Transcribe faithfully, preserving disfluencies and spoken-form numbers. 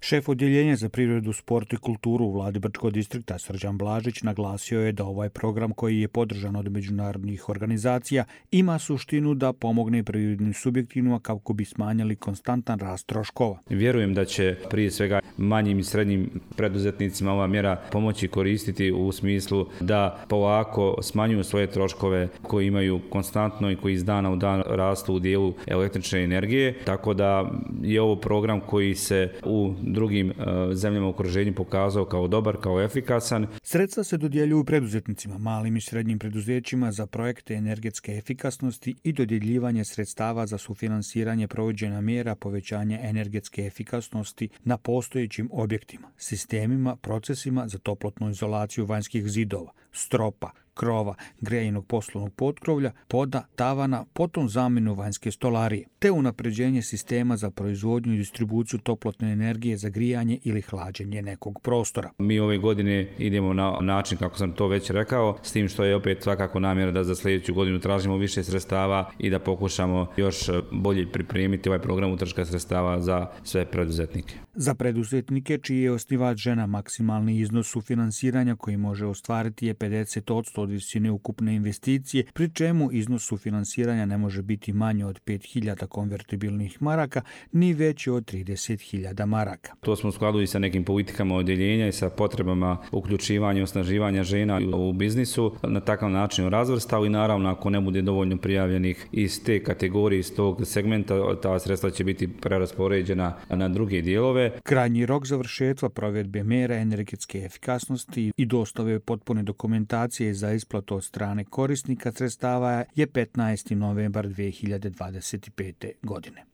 Šef odjeljenja za privredu, sport i kulturu u vladi Brčkog distrikta Srđan Blažić naglasio je da ovaj program koji je podržan od međunarodnih organizacija ima suštinu da pomogne privrednim subjektima kako bi smanjili konstantan rast troškova. Vjerujem da će prije svega manjim i srednjim preduzetnicima ova mjera pomoći koristiti u smislu da polako smanjuju svoje troškove koji imaju konstantno i koji iz dana u dan rastu u dijelu električne energije, tako da je ovo program koji se u drugim zemljama u okruženju pokazao kao dobar, kao efikasan. Sredstva se dodjeljuju preduzetnicima, malim i srednjim preduzećima za projekte energetske efikasnosti i dodjeljivanje sredstava za sufinansiranje provođenja mjera povećanja energetske efikasnosti na postojećim objektima, sistemima, procesima za toplotnu izolaciju vanjskih zidova, stropa, krova, grejnog poslovnog potkrovlja, poda, tavana, potom zamjenu vanjske stolarije, te unapređenje sistema za proizvodnju i distribuciju toplotne energije za grijanje ili hlađenje nekog prostora. Mi ove godine idemo na način, kako sam to već rekao, s tim što je opet svakako namjera da za sljedeću godinu tražimo više sredstava i da pokušamo još bolje pripremiti ovaj program utroška sredstava za sve preduzetnike. Za preduzetnike čiji je osnivač žena, maksimalni iznos sufinansiranja koji može ostvariti je pedeset posto od visine ukupne investicije, pri čemu iznos sufinansiranja ne može biti manje od pet hiljada konvertibilnih maraka ni veći od trideset hiljada maraka. To smo u skladu i sa nekim politikama odjeljenja i sa potrebama uključivanja i osnaživanja žena u biznisu na takav način razvrstao i naravno ako ne bude dovoljno prijavljenih iz te kategorije, iz tog segmenta, ta sredstva će biti preraspoređena na druge dijelove. Krajnji rok završetka provedbe mjera energetske efikasnosti i dostave potpune dokumentacije za isplatu od strane korisnika sredstava je petnaesti novembar dvije hiljade dvadeset pete. godine.